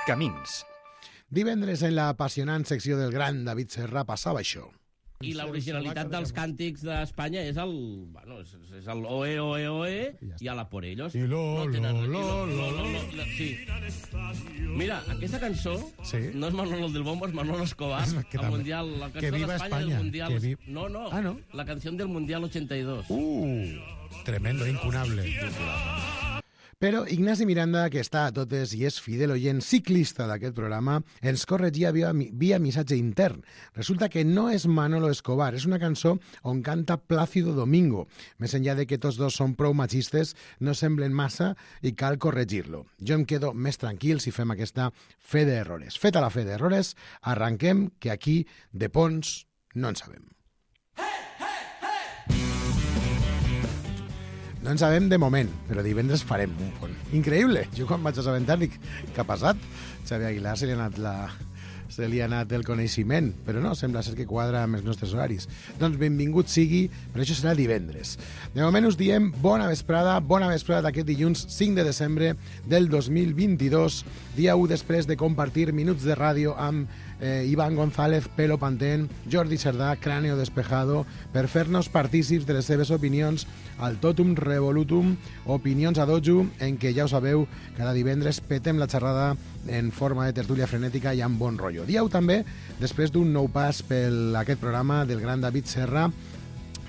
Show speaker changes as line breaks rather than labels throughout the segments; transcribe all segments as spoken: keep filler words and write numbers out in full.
Camins.
Divendres en l'apassionant secció del gran David Serra passava això.
I l'originalitat dels càntics d'Espanya és el... Bueno, és, és el oe, oe, oe i a la por ellos.
I lo,
no tenen,
lo, lo,
i
lo,
lo, lo, lo, sí. Mira, aquesta cançó
sí.
no és Manolo del Bombo, és Manolo Escobar. El mundial, la cançó
d'Espanya
España, del Mundial.
Vi...
No, no,
ah, no,
la canción del Mundial ochenta y dos.
Uh, tremendo, incunable. Però Ignasi Miranda, que està a totes i és fidel oient ciclista d'aquest programa, ens corregia via, via missatge intern. Resulta que no és Manolo Escobar, és una cançó on canta Plácido Domingo. Més enllà de que tots dos són prou machistes, no semblen massa i cal corregir-lo. Jo em quedo més tranquil si fem aquesta fe d'errores. Feta la fe d'errores, arranquem, que aquí de ponts no en sabem. No en sabem de moment, però divendres farem un pont. Increïble! Jo quan vaig assabentar dic, què ha passat? Xavi Aguilar se li ha anat la... se li ha anat el coneixement, però no, sembla ser que quadra amb els nostres horaris. Doncs benvingut sigui, però això serà divendres. De moment us diem bona vesprada, bona vesprada d'aquest dilluns cinc de desembre del dos mil vint-i-dos, dia u després de compartir minuts de ràdio amb eh, Iván González, Pelo Pantén, Jordi Cerdà, Cráneo Despejado, per fer-nos partícips de les seves opinions al Totum Revolutum, opinions a dojo, en què ja ho sabeu, cada divendres petem la xerrada en forma de tertúlia frenètica i amb bon rotllo. Dieu també, després d'un nou pas per aquest programa del gran David Serra,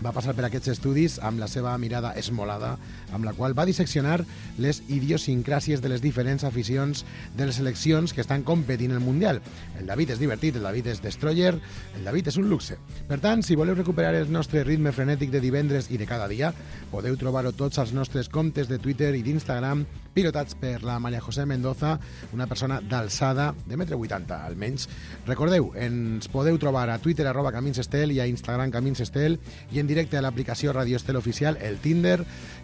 va passar per aquests estudis amb la seva mirada esmolada, amb la qual va disseccionar les idiosincràsies de les diferents aficions de les seleccions que estan competint el Mundial. El David és divertit, el David és destroyer, el David és un luxe. Per tant, si voleu recuperar el nostre ritme frenètic de divendres i de cada dia, podeu trobar-ho tots als nostres comptes de Twitter i d'Instagram, pilotats per la Maria José Mendoza, una persona d'alçada de metre vuitanta, almenys. Recordeu, ens podeu trobar a Twitter arroba Camins Estel i a Instagram Camins Estel i en directe a l'aplicació Radio Estel Oficial, el Tinder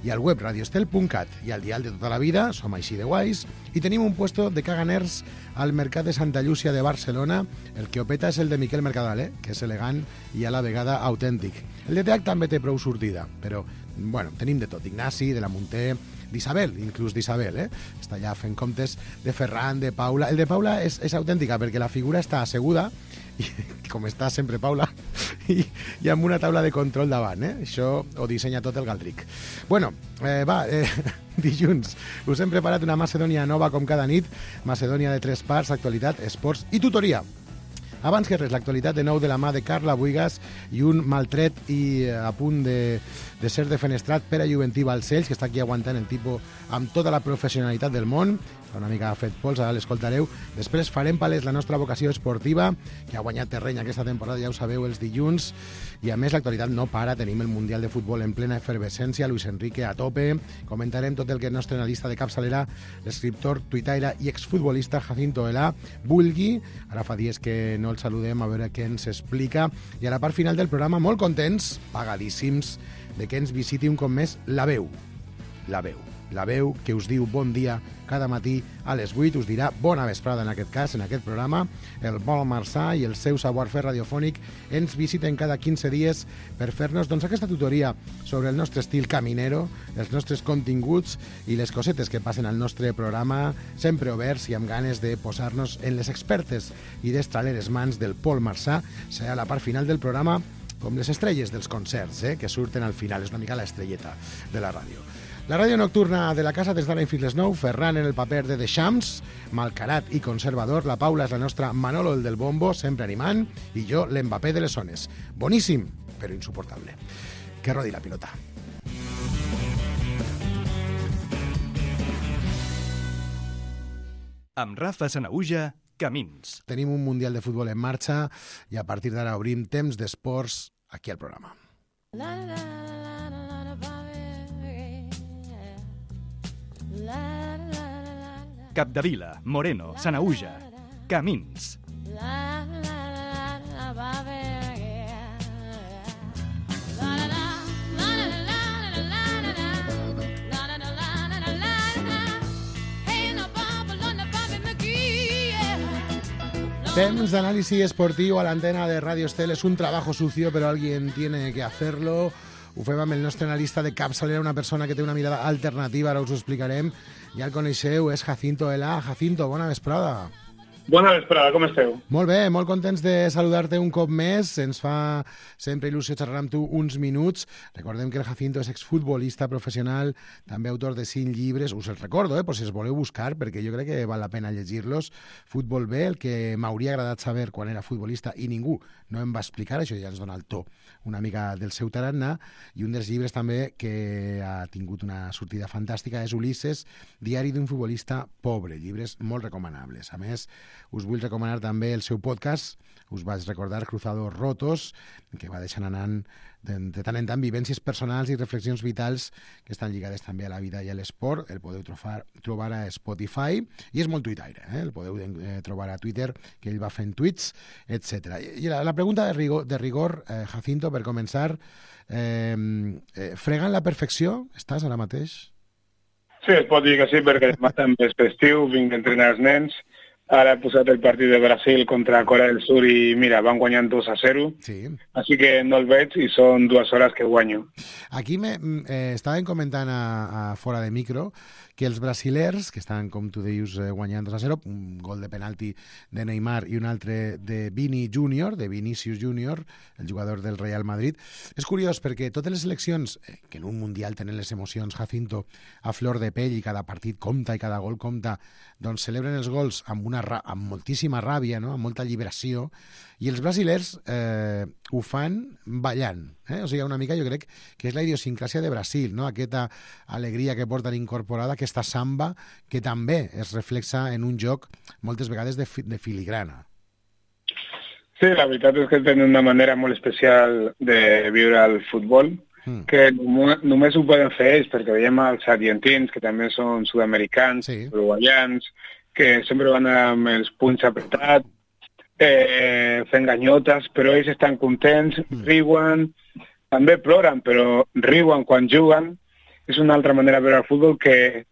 i al web radioestel punt cat i al dial de tota la vida, som així de guais, i tenim un puesto de caganers al Mercat de Santa Llúcia de Barcelona. El que opeta és el de Miquel Mercadal, eh? Que és elegant i a la vegada autèntic. El de Teac també té prou sortida, però, bueno, tenim de tot. Ignasi, de la Munté, d'Isabel, inclús d'Isabel, eh? Està allà fent comptes de Ferran, de Paula. El de Paula és, és autèntica perquè la figura està asseguda, i, com està sempre Paula, i, i amb una taula de control davant, eh? Això ho dissenya tot el Galdric. Bueno, eh, va, eh, dilluns us hem preparat una Macedònia nova com cada nit, Macedònia de tres parts, actualitat, esports i tutoria. Abans que res, l'actualitat de nou de la mà de Carla Buigas i un maltret i a punt de, de ser defenestrat per a Juventí Balcells, que està aquí aguantant el tipus amb tota la professionalitat del món. Fa una mica fet pols, ara l'escoltareu. Després farem palès la nostra vocació esportiva, que ha guanyat terreny aquesta temporada, ja ho sabeu, els dilluns. I a més, l'actualitat no para. Tenim el Mundial de Futbol en plena efervescència, Luis Enrique a tope. Comentarem tot el que el nostre analista de capçalera, l'escriptor, tuitaire i exfutbolista Jacinto Elà vulgui. Ara fa dies que no el saludem, a veure què ens explica. I a la part final del programa, molt contents, pagadíssims, de que ens visiti un cop més la veu. La veu. La veu que us diu bon dia cada matí a les vuit, us dirà bona vesprada en aquest cas, en aquest programa. El Pol Marçà i el seu savoir-fer radiofònic ens visiten cada quinze dies per fer-nos doncs, aquesta tutoria sobre el nostre estil caminero, els nostres continguts i les cosetes que passen al nostre programa, sempre oberts i amb ganes de posar-nos en les expertes i destraleres mans del Pol Marçà. Serà la part final del programa com les estrelles dels concerts, eh, que surten al final. És una mica l'estrelleta de la ràdio. La ràdio nocturna de la casa des d'ara fins les nou, Ferran en el paper de The Shams, malcarat i conservador, la Paula és la nostra Manolo, el del bombo, sempre animant, i jo l'Mbappé de les zones. Boníssim, però insuportable. Que rodi la pilota.
Amb Rafa Sanaüja, Camins.
Tenim un Mundial de Futbol en marxa i a partir d'ara obrim temps d'esports aquí al programa. La, la, la.
Capdevila, Moreno, Sanaüja, Camins.
Temps d'anàlisi esportiu a l'antena de Radio Estel. Es un trabajo sucio, pero alguien tiene que hacerlo. ho fem amb el nostre analista de capçalera, una persona que té una mirada alternativa, ara us ho explicarem. Ja el coneixeu, és Jacinto Elà. Jacinto, bona vesprada.
Bona vesprada, com esteu?
Molt bé, molt contents de saludar-te un cop més. Ens fa sempre il·lusió xerrar amb tu uns minuts. Recordem que el Jacinto és exfutbolista professional, també autor de cinc llibres. Us els recordo, eh, per si els voleu buscar, perquè jo crec que val la pena llegir-los. Futbol B, el que m'hauria agradat saber quan era futbolista i ningú no em va explicar, això ja ens dona el to una mica del seu tarannà, i un dels llibres també que ha tingut una sortida fantàstica és Ulisses, diari d'un futbolista pobre, llibres molt recomanables. A més, us vull recomanar també el seu podcast, us vaig recordar Cruzados Rotos, que va deixant anant de, de tant en tant vivències personals i reflexions vitals que estan lligades també a la vida i a l'esport. El podeu trobar, trobar a Spotify, i és molt tuitaire, eh? El podeu eh, trobar a Twitter, que ell va fent tuits, etcètera. I la, la pregunta de rigor, de rigor eh, Jacinto, per començar, eh, eh, fregant la perfecció, estàs ara mateix?
Sí, es pot dir que sí, perquè demà també és festiu, vinc d'entrenar els nens. Ara he posat el partit de Brasil contra Corea del Sur i, mira, van guanyant dos a zero. Sí. Així que no el veig i són dues hores que guanyo.
Aquí me, eh, estàvem comentant a, a fora de micro que els brasilers, que estan, com tu dius, eh, guanyant dos a zero, un gol de penalti de Neymar i un altre de Vini Júnior, de Vinicius Júnior, el jugador del Real Madrid. És curiós perquè totes les seleccions, eh, que en un mundial tenen les emocions, Jacinto, a flor de pell, i cada partit compta i cada gol compta, doncs celebren els gols amb, una, amb moltíssima ràbia, no? Amb molta lliberació, i els brasilers eh, ho fan ballant. Eh? O sigui, una mica jo crec que és la idiosincràsia de Brasil, no? Aquesta alegria que porten incorporada, aquesta samba, que també es reflexa en un joc moltes vegades de, fi, de filigrana.
Sí, la veritat és que tenen una manera molt especial de viure el futbol, mm. que només ho poden fer ells, perquè veiem els argentins, que també són sud-americans, sí. uruguaians, que sempre van amb els punys apretats, eh, fent ganyotes, però ells estan contents, mm. riuen, també ploren, però riuen quan juguen. És una altra manera de veure el futbol que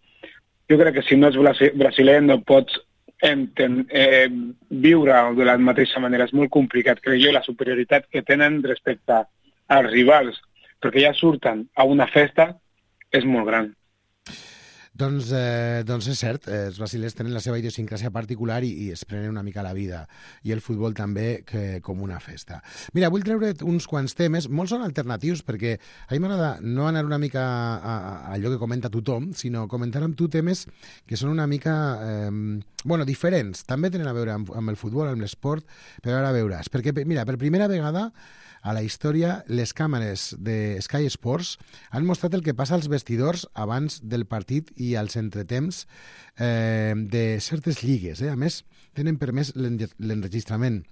jo crec que si no ets brasiler no pots enten, eh, viure de la mateixa manera. És molt complicat, crec jo, la superioritat que tenen respecte als rivals, perquè ja surten a una festa, és molt gran.
Doncs, eh, doncs és cert, eh, els brasilers tenen la seva idiosincràsia particular i, i es prenen una mica la vida, i el futbol també que, com una festa. Mira, vull treure uns quants temes, molts són alternatius, perquè a mi m'agrada no anar una mica a, a, a allò que comenta tothom, sinó comentar amb tu temes que són una mica eh, bueno, diferents. També tenen a veure amb, amb el futbol, amb l'esport, però ara veuràs. Perquè, mira, per primera vegada a la història, les càmeres de Sky Sports han mostrat el que passa als vestidors abans del partit i als entretemps eh, de certes lligues. Eh? A més, tenen permès l'enregistrament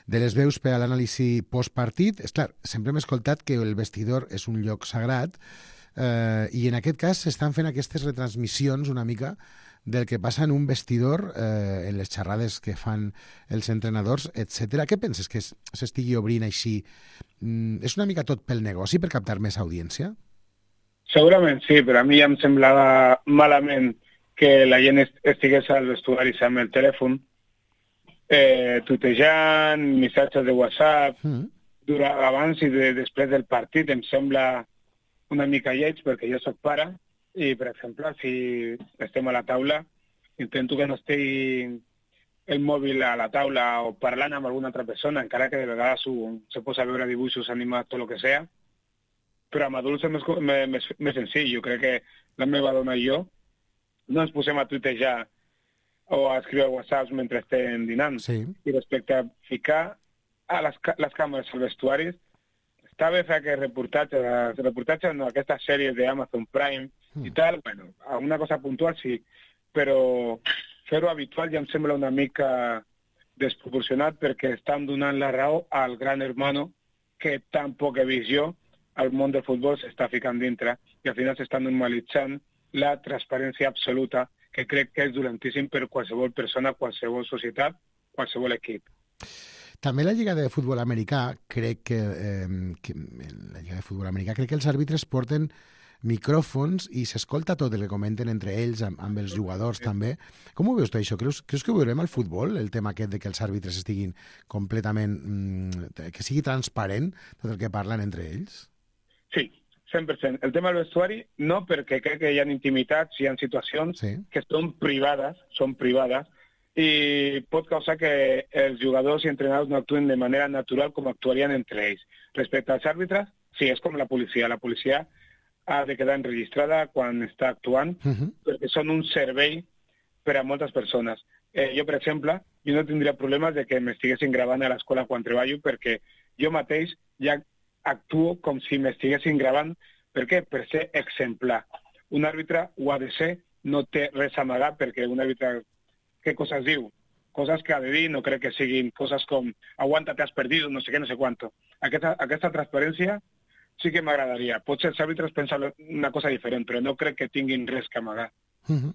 de les veus per a l'anàlisi postpartit. És clar, sempre hem escoltat que el vestidor és un lloc sagrat eh, i en aquest cas s'estan fent aquestes retransmissions una mica del que passa en un vestidor, eh, en les xerrades que fan els entrenadors, etcètera. Què penses que s'estigui obrint així? Mm, és una mica tot pel negoci, per captar més audiència?
Segurament sí, però a mi ja em semblava malament que la gent estigués als vestuaris amb el telèfon, eh, tutejant, missatges de WhatsApp, mm. durant, abans i de, després del partit. Em sembla una mica lleig, perquè jo soc pare, i, per exemple, si estem a la taula, intento que no estigui el mòbil a la taula o parlant amb alguna altra persona, encara que de vegades se posa a veure dibuixos animats, tot el que sea, però amb adults és més, més, més senzill. Jo crec que la meva dona i jo no ens posem a tuitejar o a escriure whatsapps mentre estem dinant. Sí. I respecte a ficar a les, les càmeres als vestuaris, està bé fer aquest reportatge, reportatge no, aquesta sèrie d'Amazon Prime mm. i tal, bueno, alguna cosa puntual sí, però fer-ho habitual ja em sembla una mica desproporcionat, perquè estan donant la raó al gran hermano que tan poc he vist jo al món del futbol s'està ficant dintre, i al final s'està normalitzant la transparència absoluta, que crec que és dolentíssim per qualsevol persona, qualsevol societat, qualsevol equip.
També la Lliga de Futbol Americà, crec que, eh, que la Lliga de Futbol Americà, crec que els àrbitres porten micròfons i s'escolta tot el que comenten entre ells, amb, amb els jugadors també. Com ho veus tu, això? Creus, creus que ho veurem al futbol, el tema aquest de que els àrbitres estiguin completament... Mm, que sigui transparent tot el que parlen entre ells?
Sí, cent per cent. El tema del vestuari, no, perquè crec que hi ha intimitats, hi ha situacions
Sí.
que són privades, són privades, i pot causar que els jugadors i entrenadors no actuen de manera natural com actuarien entre ells. Respecte als àrbitres, sí, és com la policia. La policia ha de quedar enregistrada quan està actuant,
Uh -huh.
perquè són un servei per a moltes persones. Eh, jo, per exemple, jo no tindria problemes de que m'estiguessin gravant a l'escola quan treballo, perquè jo mateix ja actuo com si m'estiguessin gravant. Per què? Per ser exemplar. Un àrbitre ho ha de ser, no té res a amagar, perquè un àrbitre, què coses diu? Coses que ha de dir, no crec que siguin coses com aguanta, te has perdido, no sé què, no sé quanto. Aquesta, aquesta transparència sí que m'agradaria. Potser els àrbitres pensen una cosa diferent, però no crec que tinguin res que amagar.
Uh -huh.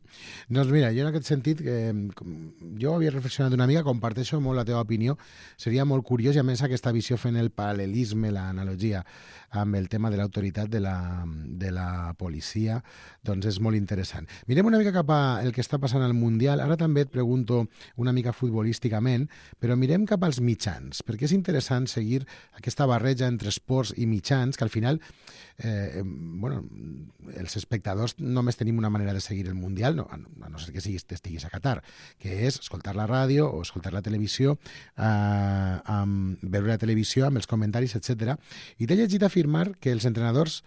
Doncs mira, jo en aquest sentit, eh, jo havia reflexionat una mica, comparteixo molt la teva opinió, seria molt curiós, i a més aquesta visió fent el paral·lelisme, l'analogia amb el tema de l'autoritat de, la, de la policia, doncs és molt interessant. Mirem una mica cap a el que està passant al Mundial, ara també et pregunto una mica futbolísticament, però mirem cap als mitjans, perquè és interessant seguir aquesta barreja entre esports i mitjans, que al final, eh, bueno, els espectadors només tenim una manera de seguir el Mundial, no, a no ser que siguis, estiguis a Qatar, que és escoltar la ràdio o escoltar la televisió, eh, amb, veure la televisió amb els comentaris, etcètera. I t'he llegit afirmar que els entrenadors...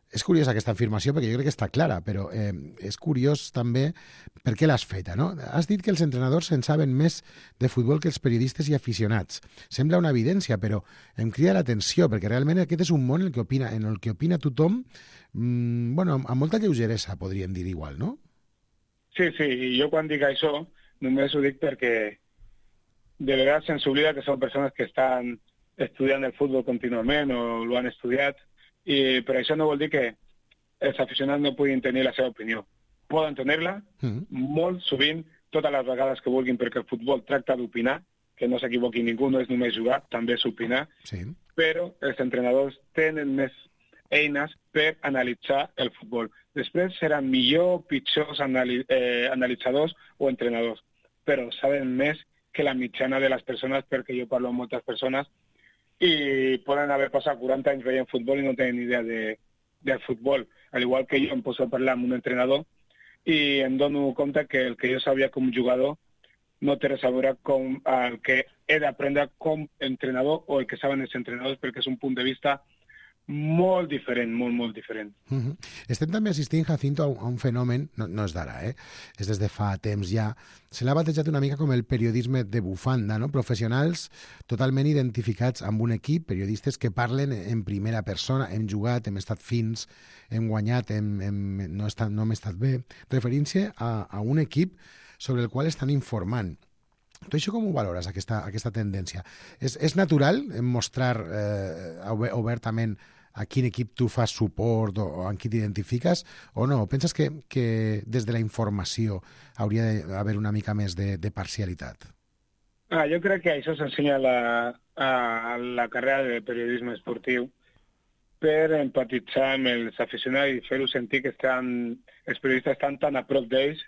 És curiosa aquesta afirmació perquè jo crec que està clara, però eh, és curiós també per què l'has feta, no? Has dit que els entrenadors en saben més de futbol que els periodistes i aficionats. Sembla una evidència, però em crida l'atenció, perquè realment aquest és un món en el que opina, en el que opina tothom, mmm, bueno, amb, amb molta lleugeresa, podríem dir igual, no?
Sí, sí, i jo quan dic això només ho dic perquè de vegades se'ns oblida que són persones que estan estudiant el futbol contínuament o lo han estudiat, i per això no vol dir que els aficionats no puguin tenir la seva opinió. Poden tenir-la, mm. molt sovint, totes les vegades que vulguin, perquè el futbol tracta d'opinar, que no s'equivoqui ningú, no és només jugar, també és opinar,
sí.
Però els entrenadors tenen més eines per analitzar el futbol. Després seran millor, pitjors anali eh, analitzadors o entrenadors, però saben més que la mitjana de les persones, perquè jo parlo amb moltes persones, i poden haver passat quaranta anys veient futbol i no tenen idea de, del futbol. Al igual que jo em poso a parlar amb un entrenador i em dono compte que el que jo sabia com jugador no té res a veure com el que he d'aprendre com entrenador o el que saben els entrenadors, perquè és un punt de vista molt diferent, molt, molt diferent.
Uh-huh. Estem també assistint, Jacinto, a un, a un fenomen, no, no és d'ara, eh? És des de fa temps ja, se l'ha batejat una mica com el periodisme de bufanda, no? Professionals totalment identificats amb un equip, periodistes que parlen en primera persona, hem jugat, hem estat fins, hem guanyat, hem, hem, no, he estat, no hem estat bé, referint-se a, a un equip sobre el qual estan informant. Tu això com ho valores, aquesta, aquesta tendència? És, és natural mostrar eh, obertament a quin equip tu fas suport o, o amb qui t'identifiques o no? Penses que, que des de la informació hauria d'haver una mica més de, de parcialitat?
Ah, jo crec que això s'ensenya a, la, a la carrera de periodisme esportiu per empatitzar amb els aficionats i fer-ho sentir que estan, els periodistes estan tan a prop d'ells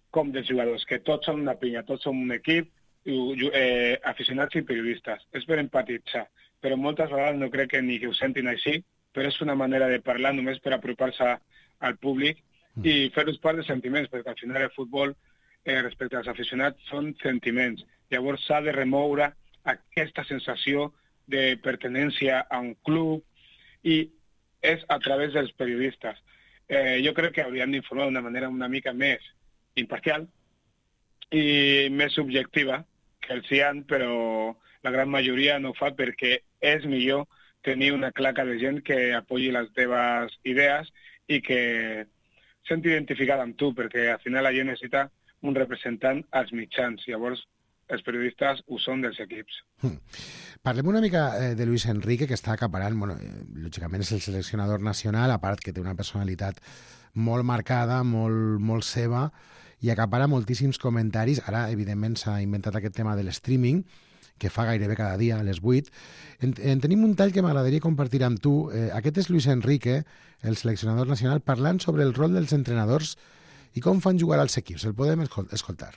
com dels jugadors, que tots són una pinya, tots som un equip, eh, aficionats i periodistes. És per empatitzar, però moltes vegades no crec que ni que ho sentin així, però és una manera de parlar només per apropar-se al públic i fer-los part de sentiments, perquè al final el futbol, eh, respecte als aficionats, són sentiments. Llavors s'ha de remoure aquesta sensació de pertenència a un club i és a través dels periodistes. Eh, jo crec que hauríem d'informar d'una manera una mica més imparcial i més subjectiva que els hi han, però la gran majoria no ho fa perquè és millor tenir una claca de gent que apoyi les teves idees i que senti identificada amb tu, perquè al final la gent necessita un representant als mitjans. Llavors, els periodistes ho són dels equips.
Hmm. Parlem una mica eh, de Luis Enrique, que està acaparant, bueno, eh, lògicament és el seleccionador nacional, a part que té una personalitat molt marcada, molt, molt seva, i acapara moltíssims comentaris. Ara, evidentment, s'ha inventat aquest tema de l'streaming, que fa gairebé cada dia a les vuit. En, en tenim un tall que m'agradaria compartir amb tu. Eh, aquest és Luis Enrique, el seleccionador nacional, parlant sobre el rol dels entrenadors i com fan jugar als equips. El podem escoltar.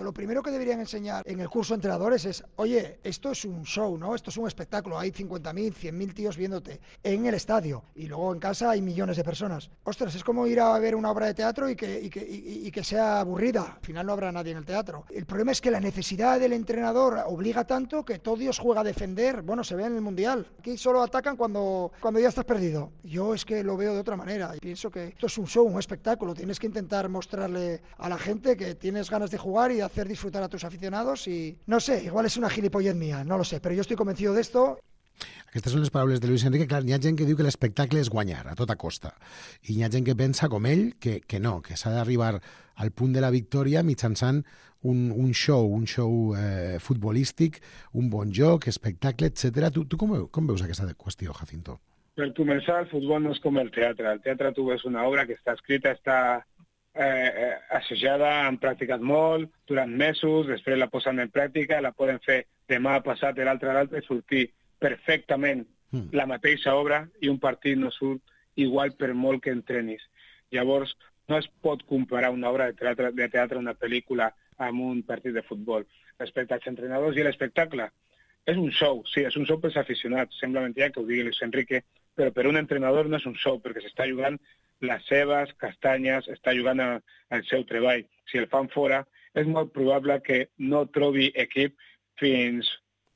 Lo primero que deberían enseñar en el curso de entrenadores es, oye, esto es un show, ¿no? Esto es un espectáculo, hay cincuenta mil, cien mil tíos viéndote en el estadio y luego en casa hay millones de personas. Ostras, es como ir a ver una obra de teatro y que, y que, y, y que sea aburrida, al final no habrá nadie en el teatro. El problema es que la necesidad del entrenador obliga tanto que todo Dios juega a defender, bueno, se ve en el Mundial. Aquí solo atacan cuando, cuando ya estás perdido. Yo es que lo veo de otra manera y pienso que esto es un show, un espectáculo, tienes que intentar mostrarle a la gente que tienes ganas de jugar y hacer disfrutar a tus aficionados y no sé, igual és una gilipollez mía, no lo sé, però jo estic convencido d'esto.
Aquestes són les paraules de Luis Enrique. Clar, hi ha gent que diu que l'espectacle és guanyar a tota costa i hi ha gent que pensa com ell que, que no, que s'ha d'arribar al punt de la victòria mitjançant un, un show, un show eh, futbolístic, un bon joc, espectacle, etcètera. Tu, tu com, com veus aquesta qüestió, Jacinto?
Per començar, el futbol no és com el teatre. El teatre tu ves una obra que està escrita, està eh, assajada, han practicat molt, durant mesos, després la posen en pràctica, la poden fer demà passat, l'altre a l'altre, sortir perfectament mm. la mateixa obra i un partit no surt igual per molt que entrenis. Llavors, no es pot comparar una obra de teatre, de teatre una pel·lícula amb un partit de futbol. Respecte als entrenadors i l'espectacle, és un show, sí, és un show pels aficionats. Sembla mentida que ho digui Luis Enrique, però per un entrenador no és un show, perquè s'està jugant les seves castanyes, està jugant a, al seu treball. Si el fan fora, és molt probable que no trobi equip fins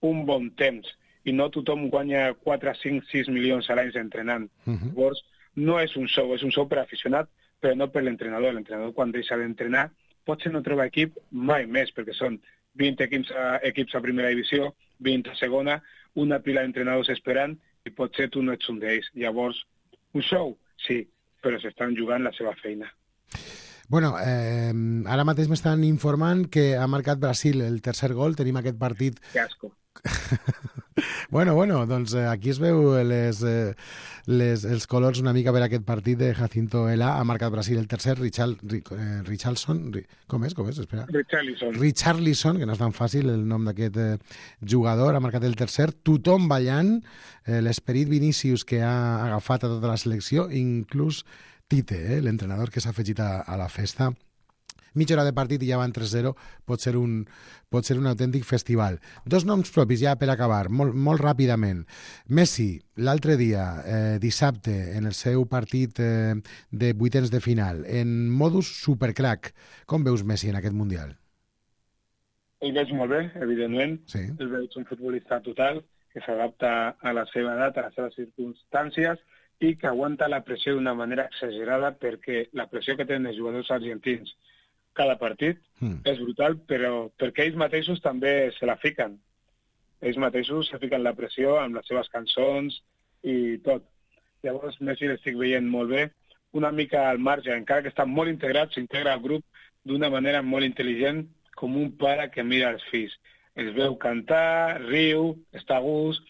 un bon temps i no tothom guanya quatre, cinc, sis milions a l'any entrenant. Uh-huh. Llavors, no és un show, és un show per aficionat, però no per l'entrenador. L'entrenador, quan deixa d'entrenar, potser no troba equip mai més, perquè són vint equips a, equips a primera divisió, vint a segona, una pila d'entrenadors esperant, i potser tu no ets un d'ells. Llavors, un show, sí, però s'estan jugant la seva feina.
Bueno, eh, ara mateix m'estan informant que ha marcat Brasil el tercer gol, tenim aquest partit...
Que asco.
Bueno, bueno, doncs aquí es veu les, les, els colors una mica per aquest partit de Jacinto Ela. Ha marcat Brasil el tercer, Richard, eh, Richarlison, com és, com és? Espera.
Richarlison.
Richarlison, que no és tan fàcil el nom d'aquest eh, jugador, ha marcat el tercer. Tothom ballant, eh, l'esperit Vinícius que ha agafat a tota la selecció, inclús Tite, eh, l'entrenador que s'ha afegit a, a la festa. Mitja hora de partit i ja van tres zero, pot ser un, pot ser un autèntic festival. Dos noms propis ja per acabar, molt, molt ràpidament. Messi, l'altre dia, eh, dissabte, en el seu partit eh, de vuitens de final, en modus supercrack. Com veus Messi en aquest Mundial?
El veig molt bé, evidentment.
Sí.
El veig un futbolista total, que s'adapta a la seva edat, a les seves circumstàncies, i que aguanta la pressió d'una manera exagerada, perquè la pressió que tenen els jugadors argentins cada partit mm. és brutal, però perquè ells mateixos també se la fiquen. Ells mateixos se fiquen la pressió amb les seves cançons i tot. Llavors, Messi l'estic veient molt bé, una mica al marge, encara que està molt integrat, s'integra al grup d'una manera molt intel·ligent, com un pare que mira els fills. Els veu cantar, riu, està a gust,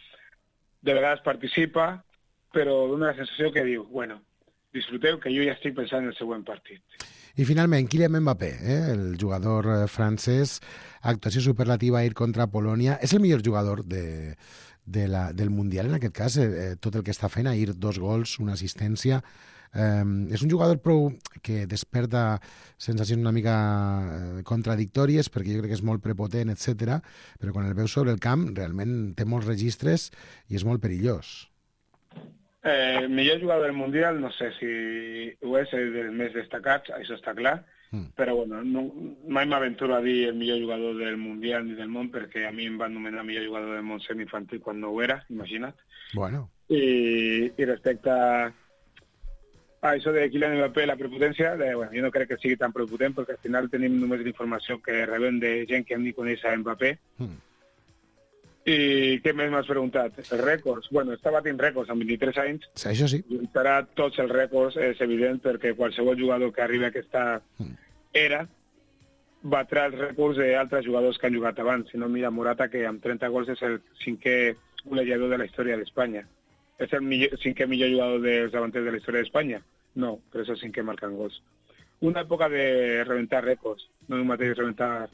de vegades participa, però dona la sensació que diu, bueno, disfruteu que jo ja estic pensant en el següent partit.
I finalment, Kylian Mbappé, eh, el jugador francès, actuació superlativa ahir contra Polònia. És el millor jugador de, de la, del Mundial, en aquest cas, eh, tot el que està fent, ahir dos gols, una assistència. Eh, és un jugador prou que desperta sensacions una mica eh, contradictòries, perquè jo crec que és molt prepotent, etcètera, però quan el veus sobre el camp realment té molts registres i és molt perillós.
Eh, millor jugador del Mundial, no sé si ho és, és dels més destacats, això està clar, mm. però bueno, no, mai m'aventuro a dir el millor jugador del Mundial ni del món, perquè a mi em van nomenar millor jugador del món semiinfantil quan no ho era, imagina't.
Bueno.
I, i respecte a això de Kylian Mbappé, la prepotència, de, bueno, jo no crec que sigui tan prepotent, perquè al final tenim només la informació que rebem de gent que ni coneix a Mbappé. Mm. I què més m'has preguntat? Els rècords. Bueno, està batint rècords amb vint-i-tres anys.
Sí, això sí.
Lluitarà tots els rècords, és evident, perquè qualsevol jugador que arribi a aquesta era batrà els rècords d'altres jugadors que han jugat abans. Si no, mira Morata, que amb trenta gols és el cinquè golejador de la història d'Espanya. És el millor, cinquè millor jugador dels davanters de la història d'Espanya? No, però és el cinquè marcant gols. Una època de reventar rècords. No és el mateix reventar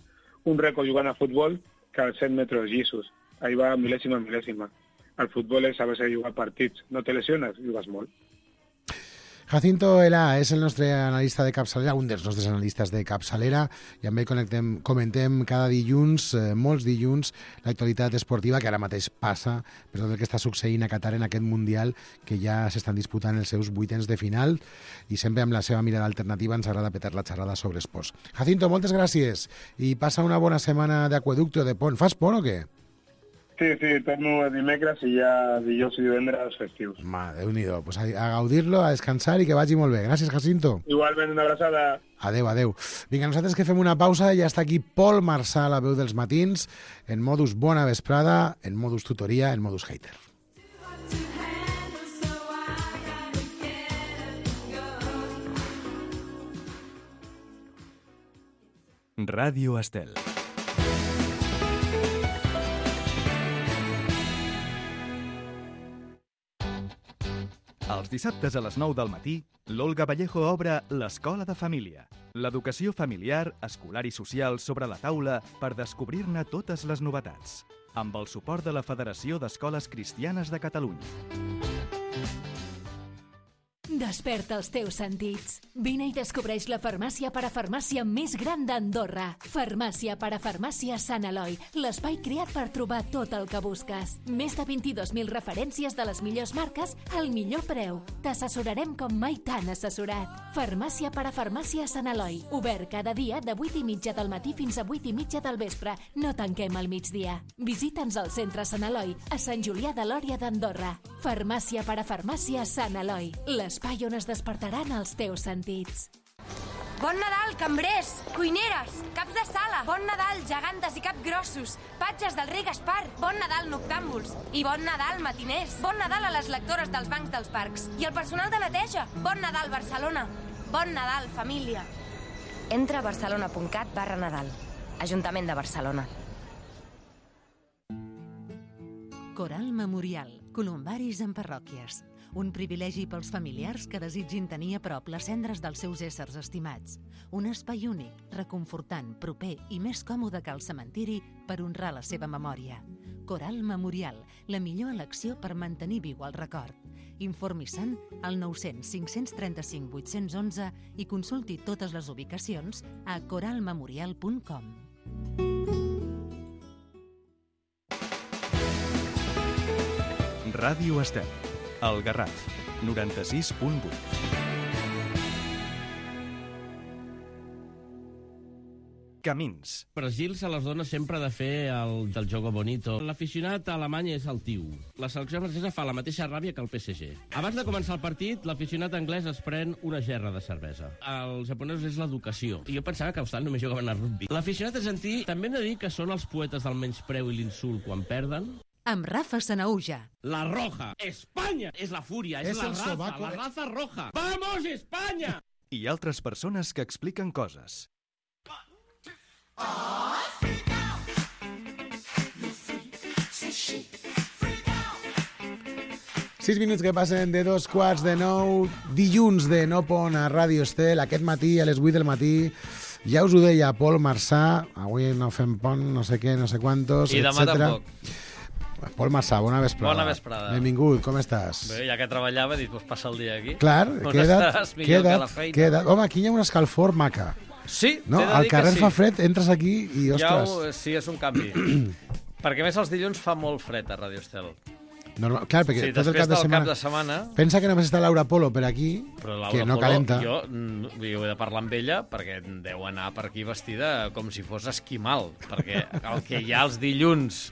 un rècord jugant a futbol que als set metres llisos. Ahí va mil·lèsima, mil·lèsima. El futbol és saber jugar partits. No te lesiones, jugues molt.
Jacinto Elà és el nostre analista de capçalera, un dels nostres analistes de capçalera, i amb ell connectem, comentem cada dilluns, eh, molts dilluns, l'actualitat esportiva que ara mateix passa per tot el que està succeint a Qatar en aquest Mundial, que ja s'estan disputant els seus vuitens de final, i sempre amb la seva mirada alternativa ens agrada petar la xerrada sobre esports. Jacinto, moltes gràcies, i passa una bona setmana d'aqüeducte de pont. Fas pont o què?
Sí, sí, torno dimecres i ja dijous i divendres festius.
Ma, Déu-n'hi-do. Pues a, a gaudir-lo, a descansar i que vagi molt bé. Gràcies, Jacinto.
Igualment, una abraçada.
Adeu, adeu. Vinga, nosaltres que fem una pausa, ja està aquí Pol Marçà, la veu dels matins, en modus bona vesprada, en modus tutoria, en modus hater.
Ràdio Estel. Els dissabtes a les nou del matí, l'Olga Vallejo obre l'Escola de Família. L'educació familiar, escolar i social sobre la taula per descobrir-ne totes les novetats. Amb el suport de la Federació d'Escoles Cristianes de Catalunya.
Desperta els teus sentits. Vine i descobreix la farmàcia parafarmàcia més gran d'Andorra. Farmàcia parafarmàcia Sant Eloi, l'espai creat per trobar tot el que busques. Més de vint-i-dos mil referències de les millors marques al millor preu. T'assessorarem com mai t'han assessorat. Farmàcia parafarmàcia Sant Eloi, obert cada dia de vuit i mitja del matí fins a vuit i mitja del vespre. No tanquem al migdia. Visita'ns al centre Sant Eloi, a Sant Julià de Lòria d'Andorra. Farmàcia parafarmàcia Sant Eloi, l'espai on es despertaran els teus sentits.
Bon Nadal, cambrers, cuineres, caps de sala. Bon Nadal, gegantes i capgrossos, patges del rei Gaspar. Bon Nadal, noctàmbuls. I bon Nadal, matiners. Bon Nadal a les lectores dels bancs dels parcs. I al personal de neteja. Bon Nadal, Barcelona. Bon Nadal, família. Entra a barcelona punt cat barra Nadal. Ajuntament de Barcelona.
Coral Memorial. Columbaris en parròquies. Un privilegi pels familiars que desitgin tenir a prop les cendres dels seus éssers estimats. Un espai únic, reconfortant, proper i més còmode que el cementiri per honrar la seva memòria. Coral Memorial, la millor elecció per mantenir viu el record. Informi-se'n al nou cents cinc cents trenta-cinc vuit-cents onze i consulti totes les ubicacions a coral memorial punt com.
Ràdio Estel. El Garraf, noranta-sis punt vuit. Camins.
Brasil se les dona sempre de fer el del jogo bonito. L'aficionat alemany és el tiu. La selecció francesa fa la mateixa ràbia que el P S G. Abans de començar el partit, l'aficionat anglès es pren una gerra de cervesa. Els japonesos és l'educació. I jo pensava que a Austràlia només jugaven a rugby. L'aficionat argentí també hem de dir que són els poetes del menyspreu i l'insult quan perden.
Amb Rafa Sanauja.
La Roja. Espanya és la fúria, és,
És
la
el
raza,
sobaco,
la
eh?
raza roja. Vamos, Espanya!
I altres persones que expliquen coses.
Sis minuts que passen de dos quarts de nou, dilluns de No Pont a Ràdio Estel, aquest matí a les vuit del matí. Ja us ho deia Pol Marçà, avui no fem pont, no sé què, no sé quantos,
I demà
etcètera.
tampoc.
Pol Marçà, bona vesprada.
Bona vesprada.
Benvingut, com estàs?
Bé, ja que treballava, he dit, pues passa el dia aquí.
Clar,
On
queda't,
estaràs millor que a la
queda't,
feina.
queda't. Home, aquí hi ha una escalfor maca.
Sí,
No?
t'he de
Al
dir que
carrer
sí.
fa fred, entres aquí i,
Ja
ostres...
ho, sí, és un canvi. Perquè a més els dilluns fa molt fred a Radio Estel.
Normal, clar, perquè
Sí,
tot el
després
cap de
del
setmana...
cap de setmana...
Pensa que només està Laura Polo per aquí,
Però Laura
que no
Polo,
calenta.
Jo, mm, jo he de parlar amb ella perquè deu anar per aquí vestida com si fos esquimal. Perquè el que hi ha els dilluns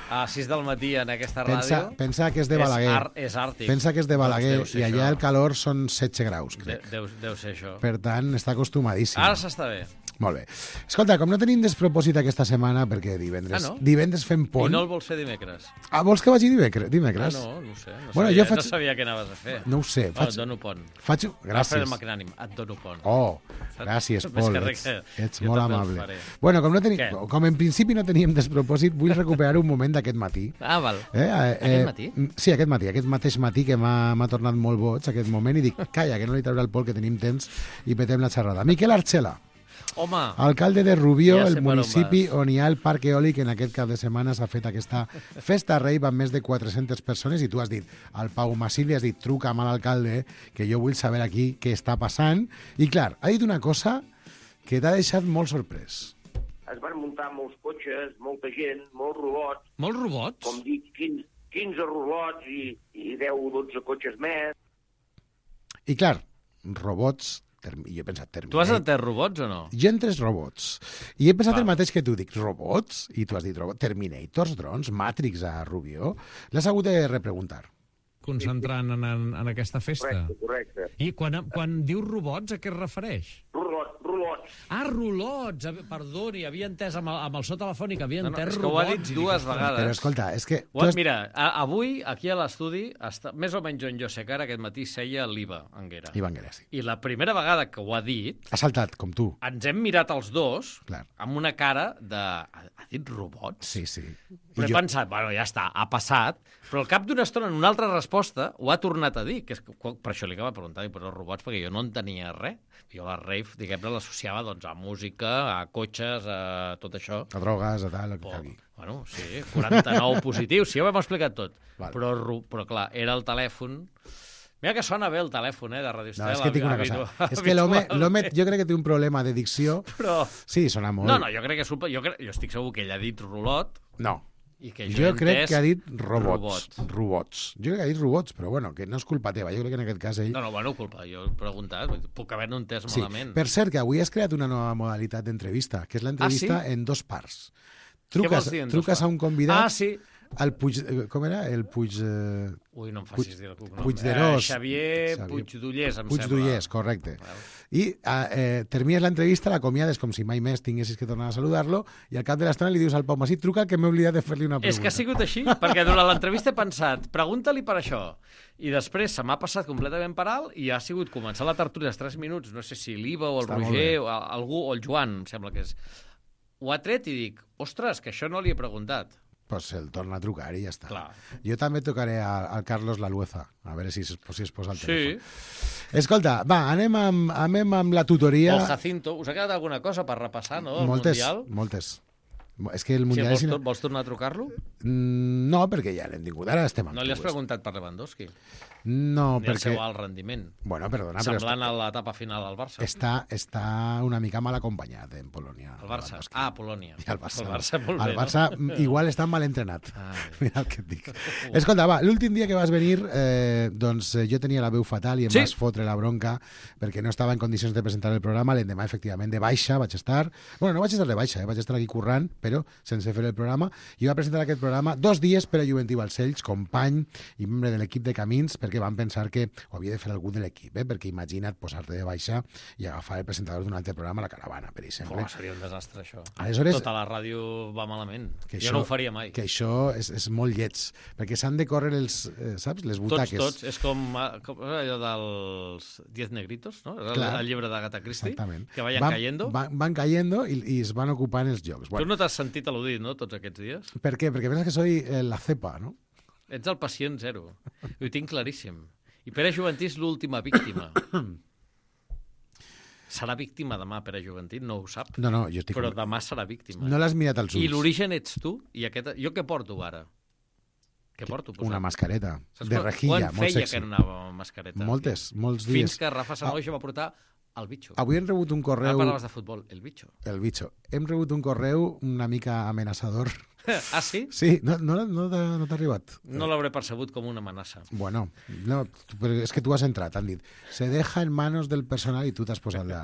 a sis del matí en aquesta
Pensa,
ràdio...
pensa que és de Balaguer.
És, ar, és àrtic.
Pensa que és de Balaguer,
Doncs deu ser
i allà
això.
el calor són setze graus,
De,
crec.
deu, deu ser això.
Per tant, està acostumadíssim.
Ara s'està bé.
Molt bé. Escolta, com no tenim despropòsit aquesta setmana, perquè divendres,
Ah, no?
divendres fem pont...
I no el vols fer dimecres?
Ah, vols que vagi dimecres? dimecres?
Ah, no, no ho sé. No,
Bueno,
sabia,
jo faig-
no sabia què anaves a fer.
No ho sé.
Oh,
Faig...
et dono pont.
faig...
Alfred
Gràcies.
Magnànim, et dono pont.
Oh, gràcies,
Més
Pol.
que res
Ets,
que
ets
jo
molt
també el
amable.
faré.
Bueno, com, no tenim,
Què?
com en principi no teníem despropòsit, vull recuperar un moment d'aquest matí.
Ah, val.
Eh, eh,
Aquest matí?
Sí, aquest matí, aquest mateix matí que m'ha m'ha tornat molt boig aquest moment i dic, calla, que no li traurà el Pol, que tenim temps i petem la xerrada. Miquel Archela.
Home...
Alcalde de Rubió,
Ja sé
el
per on
municipi
vas.
on hi ha el parc eòlic, en aquest cap de setmana s'ha fet aquesta festa rave amb més de quatre-centes persones, i tu has dit, al Pau Masili has dit, truca'm a l'alcalde, que jo vull saber aquí què està passant. I clar, ha dit una cosa que t'ha deixat molt sorprès.
Es van muntar molts cotxes, molta gent, molts robots.
Molts robots?
Com dic, quinze, quinze robots i, i deu o dotze cotxes més.
I clar, robots... Term... Jo he pensat Terminator.
Tu has entès robots o no?
Jo he entès robots. I he pensat
Val.
el mateix que tu. Dic, robots? I tu has dit robots. Terminators, drons, Matrix a Rubió. L'has hagut de repreguntar.
Concentrant en, en, en aquesta festa.
Correcte, correcte.
I quan, quan diu robots, a què es refereix?
Rolots, rolots.
Ah, rolots! A- Perdoni, havia entès amb el, amb el so telefònic, havia
No, no,
entès
és que ho ha
robots.
dit
i
dues
dic,
vegades.
Però escolta, és que...
Ho,
has-
mira, a, avui, aquí a l'estudi, està, més o menys on jo sé que ara aquest matí seia l'Iva Anguera.
Ivan Guerra, sí.
I la primera vegada que ho ha dit,
Ha saltat, com tu.
ens hem mirat els dos
Clar.
amb una cara de... Ha, ha dit robots?
Sí, sí.
Però he pensat, bueno, ja està, ha passat, però al cap d'una estona, en una altra resposta, ho ha tornat a dir, que és, que- per això li acaba preguntant, però els robots, perquè jo no en tenia res. Jo la rave, diguem-ne, l'associava doncs, a música, a cotxes, a tot això.
A drogues, a tal, el que
Oh,
calgui.
bueno, sí, quaranta-nou positius, sí, ho hem explicat tot.
Val.
Però, ru- però, clar, era el telèfon... Mira que sona bé el telèfon, eh, de Radio
No,
Estel.
és que tinc una
habitu-
cosa. És que l'home
habitualment.
l'home jo crec que té un problema de dicció.
Però...
Sí, sona molt.
No, no, jo crec que... Super... Jo, crec... jo estic segur que ell ha dit rulot.
No.
I que
Jo,
he
crec
entès
que ha dit robots.
robots.
Robots. Jo crec que ha dit robots, però bueno, que no és culpa teva. Jo crec que en aquest cas ell...
No, no, bueno, culpa. Jo he preguntat. Puc haver-no entès
Sí.
malament.
Per cert, que avui has creat una nova modalitat d'entrevista, que és l'entrevista
Ah, sí?
en dos parts.
Què
Truques,
vols dir en dos
truques a
parts?
un convidat...
Ah, sí.
El Puig... eh, Com era? El Puig... Eh...
Ui, no em
Puig-
facis dir el cognom.
Puigderós.
Eh, Xavier
Xavier
Puigdollers, em
Puigdollers,
sembla.
correcte.
Val.
I eh, eh, termines l'entrevista, l'acomiades com si mai més tinguessis que tornar a saludar-lo, i al cap de l'estona li dius al Pau Masí, truca que m'he oblidat de fer-li una pregunta.
És que ha sigut així, perquè durant l'entrevista he pensat, pregunta-li per això. I després se m'ha passat completament per alt i ha sigut començar la tertúlia els tres minuts, no sé si l'Iva o el
Està molt
Roger
bé.
o a- algú, o el Joan, em sembla que és. Ho ha tret i dic, ostres, que això no li he preguntat.
Pues el torna a trucar i ja està.
Clar.
Jo també tocaré al, al Carlos Lalueza, a veure si es, si es posa al
Sí.
telèfon. Escolta, va, anem amb, anem amb la tutoria.
El Jacinto, us ha quedat alguna cosa per repassar, no? El
moltes,
Mundial?
moltes. És que el
Sí,
Mundial...
vols,
és...
tor- vols tornar a trucar-lo?
Mm, No, perquè ja l'hem tingut, ara estem amb
No li has
tu,
preguntat per Lewandowski?
No,
Ni el
perquè...
seu alt rendiment.
Bueno, perdona, però
Semblant a l'etapa final al Barça.
està, està una mica mal acompanyat en Polònia.
El Barça.
Lewandowski.
Ah, Polònia.
I el Barça.
El Barça, molt
el
bé,
Barça
no?
igual està mal entrenat.
Ai.
Mira el que et dic. Escolta, va, l'últim dia que vas venir, eh, doncs eh, jo tenia la veu fatal i em
Sí.
vas fotre la bronca perquè no estava en condicions de presentar el programa. L'endemà, efectivament, de baixa vaig estar... Bueno, no vaig estar de baixa, eh, vaig estar aquí currant, però sense fer el programa. I va presentar aquest programa dos dies per a Joventí Balcells, company i membre de l'equip de Camins, perquè van pensar que ho havia de fer algú de l'equip, eh? Perquè imagina't posar-te de baixa i agafar el presentador d'un altre programa, La Caravana, per exemple.
Oh, seria un desastre, això.
Aleshores-
Tota la ràdio va malament.
Que
jo
això-
no ho faria mai.
Que això és, és molt lleig, perquè s'han de córrer els, eh, saps, les
Tots,
butaques.
tots. És com, eh, com allò dels Diez Negritos, no? Era
Clar.
el llibre d'Agatha Christie.
Exactament.
Que vayan
van,
cayendo.
Van, van cayendo i, i es van ocupant els jocs.
Tu no t'has sentit al·ludit, no?, tots aquests dies?
Per què? Perquè penses que soy eh, la cepa, no?
Ets el pacient zero. Ho tinc claríssim. I Pere Juventí és l'última víctima. Serà víctima demà, Pere Juventí, no ho sap.
No, no, jo estic...
Però demà serà víctima.
No l'has mirat als ulls.
I l'origen ets tu, i aquest... Jo què porto ara? Què porto posat?
Una mascareta,
Saps
de
quan-
rejilla,
quan
molt
feia
sexy.
que anava amb mascareta?
Moltes, molts dies.
Fins que Rafa Sanoja va portar el bitxo.
Avui hem rebut un correu...
Ara parlaves de futbol, el bitxo.
El bitxo. Hem rebut un correu una mica amenaçador.
Ah, sí?
Sí, no, no, no t'ha no t'ha arribat.
No l'hauré percebut com una amenaça.
Bueno, no, però és que tu has entrat, han dit, se deja en manos del personal i tu t'has posat la,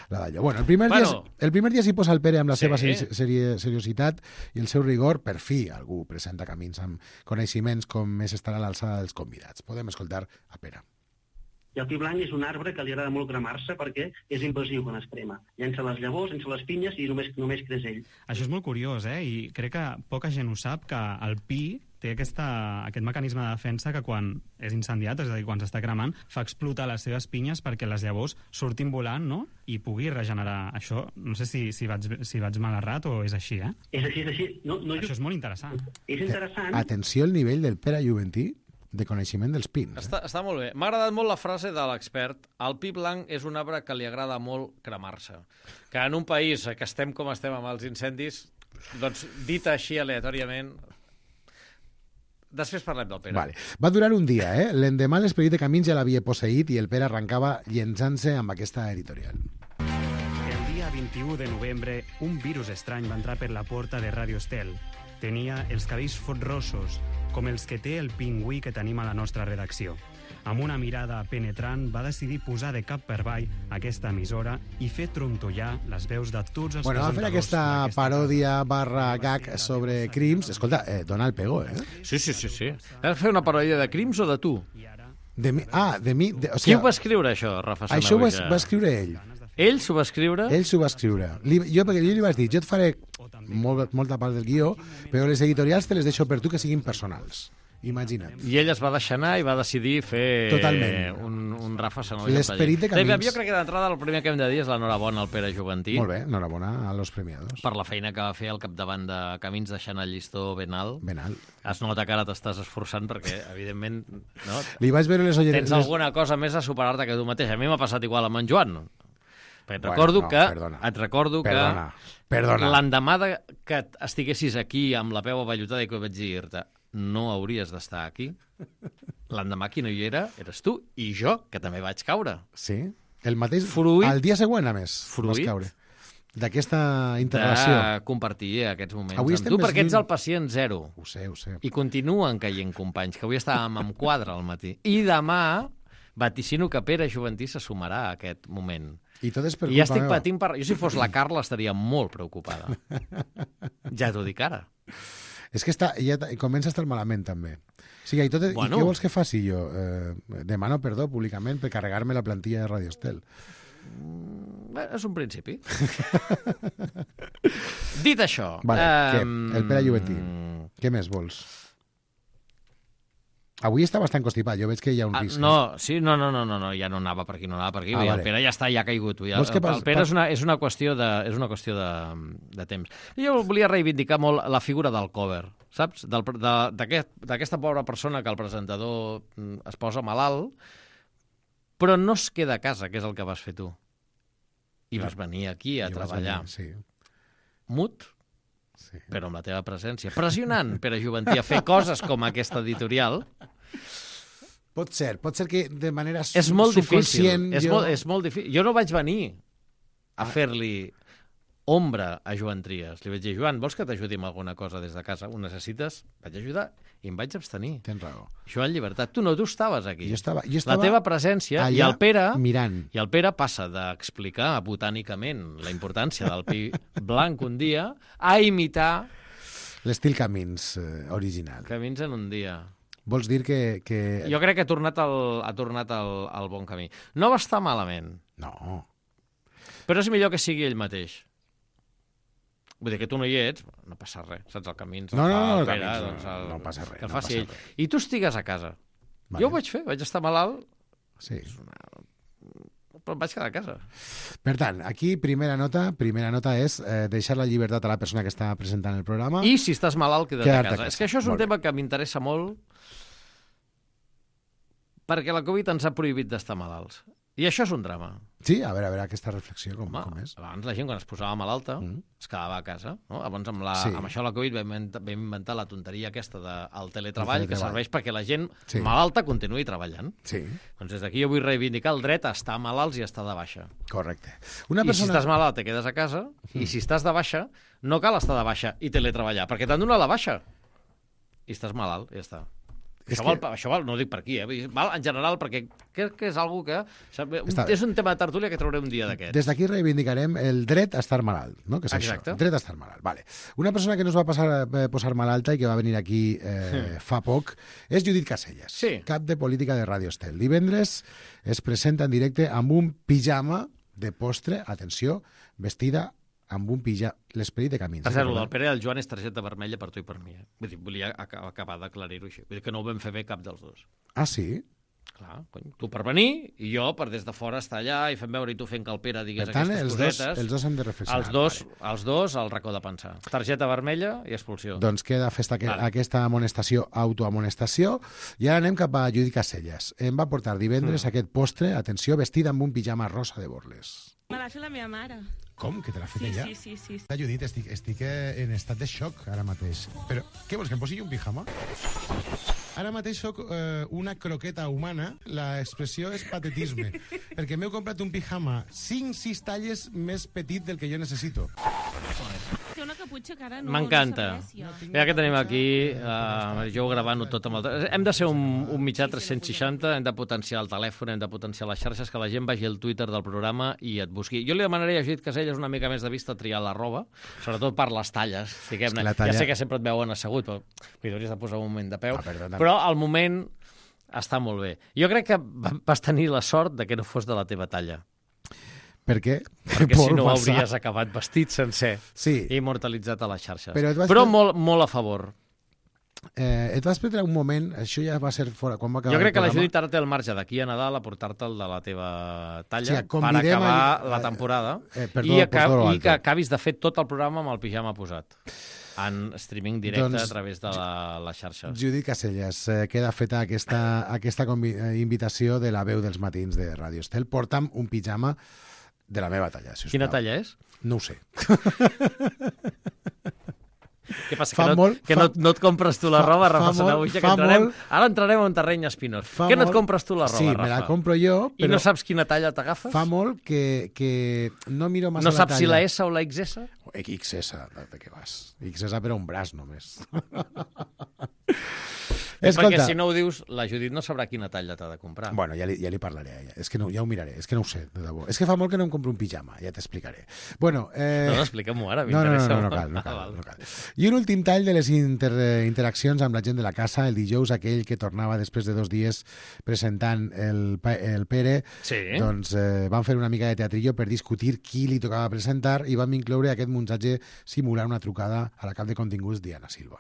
la d'allò. Bueno, el primer,
Bueno.
dia, el primer dia s'hi posa el Pere amb la
Sí.
seva seri seri seriositat i el seu rigor. Per fi algú presenta Camins amb coneixements com més estarà a l'alçada dels convidats. Podem escoltar a Pere.
I el pi blanc és un arbre que li agrada molt cremar-se perquè és invasiu quan es crema. Llença les llavors, llença les pinyes i només, només creix ell.
Això és molt curiós, eh? I crec que poca gent ho sap, que el pi té aquesta, aquest mecanisme de defensa que quan és incendiat, és a dir, quan s'està cremant, fa explotar les seves pinyes perquè les llavors surtin volant, no?, i pugui regenerar. Això, no sé si, si, vaig, si vaig mal errat o és així, eh?
És així, és així. No, no,
Això és molt interessant.
És interessant.
Atenció al nivell del Pere Juventí. de coneixement dels pins. Eh?
Està, està molt bé. M'ha agradat molt la frase de l'expert. El pi blanc és un arbre que li agrada molt cremar-se. Que en un país que estem com estem amb els incendis, doncs dit així aleatòriament... Després parlem del Pere.
Vale. Va durar un dia, eh? L'endemà l'esperit de Camins ja l'havia posseït i el Pere arrencava llençant-se amb aquesta editorial.
El dia vint-i-u de novembre, un virus estrany va entrar per la porta de Radio Estel. Tenia els cabells fotrossos, com els que té el pingüí que tenim a la nostra redacció. Amb una mirada penetrant, va decidir posar de cap per avall aquesta emissora i fer trontollar les veus de tots els
bueno,
presentadors.
Va fer aquesta paròdia barra gag sobre crims. Escolta, eh, dona el pego, eh?
Sí, sí, sí, sí. Has fet una paròdia de crims o de tu?
De mi, ah, de mi... De, o sigui,
qui ho va escriure, això, Rafa Sanahuja?
Això ho va, va escriure ell.
Ell s'ho va escriure?
Ell s'ho va escriure. Li, jo, perquè jo li vaig dir, jo et faré molt, molta part del guió, però les editorials te les deixo per tu que siguin personals. Imagina't.
I ell es va deixar anar i va decidir fer
Totalment.
un, un Rafa Sanahuja.
L'esperit de Camins.
Jo crec que d'entrada el primer que hem de dir és l'enhorabona al Pere Juventí.
Molt bé, enhorabona a los premiados.
Per la feina que va fer al capdavant de Camins, deixant el llistó ben alt.
Ben alt.
Es nota que ara t'estàs esforçant perquè, evidentment, no?
Li vaig veure les ulleres...
Tens alguna cosa més a superar-te que tu mateix. A mi m'ha passat igual amb en Joan. Et
bueno,
recordo
no,
que,
perdona.
et recordo
perdona,
que
perdona.
l'endemà que estiguessis aquí amb la peu avallotada i que vaig dir-te no hauries d'estar aquí, l'endemà qui no hi era eres tu i jo, que també vaig caure.
Sí? El mateix...
Fruit,
el dia següent, a més,
fruit,
vas caure. D'aquesta interrelació.
De compartir aquests moments
avui
amb tu, perquè ets el pacient zero.
Ho sé, ho sé.
I continuen caient companys, que avui estàvem amb quadre al matí. I demà vaticino que Pere Juventí se sumarà a aquest moment.
I tot és per
I
culpa
ja estic
meva.
patint per... Jo, si fos la Carla, estaria molt preocupada. Ja t'ho dic ara.
És que està, ja comença a estar malament, també. O sigui, i, tot, bueno. I què vols que faci jo? Eh, demano perdó públicament per carregar-me la plantilla de Radio Estel.
Mm, és un principi. Dit això...
Vale,
eh,
què? El Pere Juventí. Què més vols? Avui està bastant constipat, jo veig que hi ha un
ah,
risc.
No, sí, no, no, no, no, no, ja no anava per aquí, no anava per aquí. Ah, vale. El Pere ja està, ja ha caigut. Ja, el,
pas,
el Pere pas... és, una, és una qüestió, de, és una qüestió de, de temps. Jo volia reivindicar molt la figura del cover, saps? D'aquesta aquest, pobra persona que el presentador es posa malalt, però no es queda a casa, que és el que vas fer tu. I vas venir aquí a jo treballar. Venir,
sí.
Mut,
sí.
Però amb la teva presència. Pressionant Pere Juventí a fer coses com aquesta editorial.
Pot ser, pot ser que de manera
és molt
subconscient...
Difícil.
Jo...
És, molt, és molt difícil. Jo no vaig venir a ah. fer-li ombra a Joan Trias. Li vaig dir, Joan, vols que t'ajudi amb alguna cosa des de casa? Ho necessites? Vaig ajudar i em vaig abstenir.
Tens raó.
Joan Llibertat, tu no, tu estaves aquí.
Jo estava, jo estava
la teva presència i el Pere
mirant.
I el Pere passa d'explicar botànicament la importància del pi blanc un dia a imitar
l'estil Camins eh, original.
Camins en un dia.
Vols dir que... que...
Jo crec que ha tornat, el, ha tornat el, el bon camí. No va estar malament.
No.
Però és millor que sigui ell mateix. Vull dir que tu no hi ets, no passa res, saps? El Camins,
no,
el
no, no,
el
el
Pere,
Camins,
doncs el,
no passa res.
Que el
no
faci
passa
ell.
res.
I tu estigues a casa. Vale. Jo ho vaig fer, vaig estar malalt.
Sí.
Una... Però em vaig quedar a casa.
Per tant, aquí primera nota primera nota és eh, deixar la llibertat a la persona que està presentant el programa.
I si estàs malalt, queda't a casa.
casa.
És que això és un
molt
tema
bé.
que m'interessa molt perquè la Covid ens ha prohibit d'estar malalts. I això és un drama.
Sí, a veure, a veure aquesta reflexió, com,
Home,
com és.
Abans la gent, quan es posava malalta, mm. es quedava a casa. No? Abans, amb, la, sí. amb això la Covid, vam inventar, vam inventar la tonteria aquesta del de, teletreball, que serveix perquè la gent sí. malalta continuï treballant.
Sí.
Doncs des d'aquí jo vull reivindicar el dret a estar malalts i a estar de baixa.
Correcte. Una
I
persona...
si estàs malalt te quedes a casa, mm. i si estàs de baixa, no cal estar de baixa i teletreballar, perquè t'han donat la baixa. I estàs malalt, i ja està. Això, que... val, això val, no ho dic per aquí, eh? Val en general, perquè crec que és algo que... Està és un tema de tertúlia que trauré un dia d'aquest.
Des d'aquí reivindicarem el dret a estar malalt, no? Que és
Exacte.
Això, dret a estar malalt. Vale. Una persona que no es va passar, eh, posar malalta i que va venir aquí eh, fa poc és Judit Caselles,
sí.
cap de política de Radio Estel. Divendres es presenta en directe amb un pijama de postre, atenció, vestida amb un pijama, l'esperit de Camins.
Per cert, el del Pere i el Joan és targeta vermella per tu i per mi. Eh? Vull dir, volia acabar d'aclarir-ho així. Vull dir que no ho vam fer bé cap dels dos.
Ah, sí?
Clar, cony, tu per venir i jo per des de fora estar allà i fem veure i tu fent que el Pere digués
Per tant,
aquestes
els dos,
cosetes.
els dos hem de reflexionar.
Els dos, els dos al racó de pensar. Targeta vermella i expulsió.
Doncs queda festa que,
Vale.
aquesta amonestació, autoamonestació, i ara anem cap a Judit Caselles. Em va portar divendres
Mm.
aquest postre, atenció, vestida amb un pijama rosa de borles.
Me l'ha fet la meva mare.
Com? Que te l'ha fet
Sí,
ella?
sí, sí, sí.
La Judit, estic, estic eh, en estat de xoc ara mateix. Però què vols, que em posi un pijama? Ara mateix soc eh, una croqueta humana, l'expressió és patetisme, perquè m'heu comprat un pijama cinc sis talles més petit del que jo necessito.
Té una caputxa que ara no...
M'encanta.
No serveix,
Mira que tenim aquí, uh, jo gravant-ho tot amb el... Hem de ser un, un mitjà tres-cents seixanta, hem de potenciar el telèfon, hem de potenciar les xarxes, que la gent vagi al Twitter del programa i et busqui. Jo li demanaria a Judit Caselles una mica més de vista triar la roba, sobretot per les talles, diguem-ne.
la talla-
Ja sé que sempre et veuen assegut, però li hauries de posar un moment de peu.
Ah, perdona.
Però al moment està molt bé. Jo crec que va- vas tenir la sort de que no fos de la teva talla.
Per què?
Perquè si
Vol
no
passar.
hauries acabat vestit sencer
Sí.
i immortalitzat a les xarxes.
Però et vas
Però
fer-
molt, molt a favor.
Eh, et vas prendre un moment, això ja va ser fora, quan va acabar
Jo crec
el
que la
programa.
Judit ara té el marge d'aquí a Nadal a portar-te'l de la teva talla
Sí,
per
convidem
acabar
a-
la temporada
eh, perdó,
i,
por
acab
todo lo
i que
alto.
acabis de fer tot el programa amb el pijama posat en streaming directe
Doncs,
a través de la, les xarxes.
Judit Caselles, eh, queda feta aquesta, aquesta convi- eh, invitació de la veu dels matins de Ràdio Estel. Porta'm un pijama de la meva talla, si us
Quina
plau.
talla és?
No ho sé.
Què passa,
Fa
que, no,
molt-
que
fa-
no, no et compres tu la
fa-
roba,
fa
Rafa
molt-
Sanauja, que
fa
entrarem,
molt-
ara entrarem en un terreny espinós.
Fa
Que no et
molt-
compres tu la roba,
sí,
Rafa?
me la compro jo,
I
però-
no saps quina talla t'agafes?
Fa molt que, que no miro massa
No
la
saps
talla.
si la S o la X S?
X S, de què vas? X S per un braç, només.
És perquè
Escolta.
si no ho dius, la Judit no sabrà quina talla t'ha de comprar.
Bueno, ja li, ja li parlaré a ella. És que no, ja ho miraré, és que no ho sé, de debò. És que fa molt que no em compro un pijama, ja t'explicaré. Bueno, eh...
No, no, explica'm-ho ara,
no, no, no,
m'interessa
no, no,
molt.
cal, no
Ah,
cal,
val.
no cal. I un últim tall de les inter interaccions amb la gent de la casa, el dijous aquell que tornava després de dos dies presentant el, pa- el Pere,
Sí.
doncs eh, van fer una mica de teatrillo per discutir qui li tocava presentar i vam incloure aquest muntatge simular una trucada a la cap de continguts Diana Silva.